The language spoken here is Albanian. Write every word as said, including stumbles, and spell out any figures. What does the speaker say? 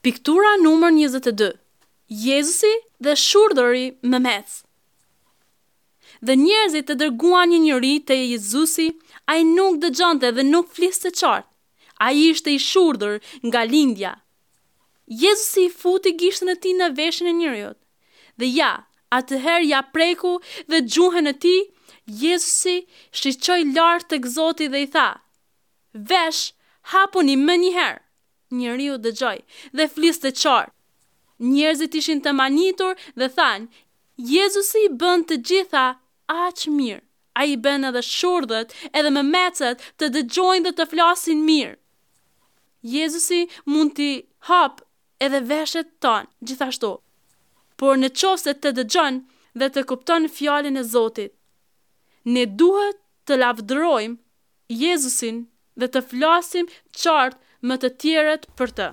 Piktura numër njëzet e dy. Jezusi dhe shurdhëri memec. Dhe njerëzit e dërguan një njeri te Jezusi, ai nuk dëgjonte dhe nuk fliste qartë. Ai ishte i shurdhër nga lindja. Jezusi i futi gishtin e tij në veshin e njeriut. Dhe ja, atëherë ja preku dhe gjuhën e tij. Jezusi shiqoi lart tek Zoti dhe i tha: Vesh, hapuni menjëherë. Njeriu dëgjoi dhe fliste qartë. Njerëzit ishin të mahnitur dhe thanë: Jezusi i bën të gjitha aq mirë. Ai i bën edhe shurdhët, edhe memecët të dëgjojnë dhe të flasin mirë. Jezusi mund t'i hap edhe veshët tanë gjithashtu. Por në qoftë se të dëgjon dhe të kupton fjalën e Zotit, ne duhet të lavdërojmë Jezusin dhe të flasim qartë me të tjerët për të.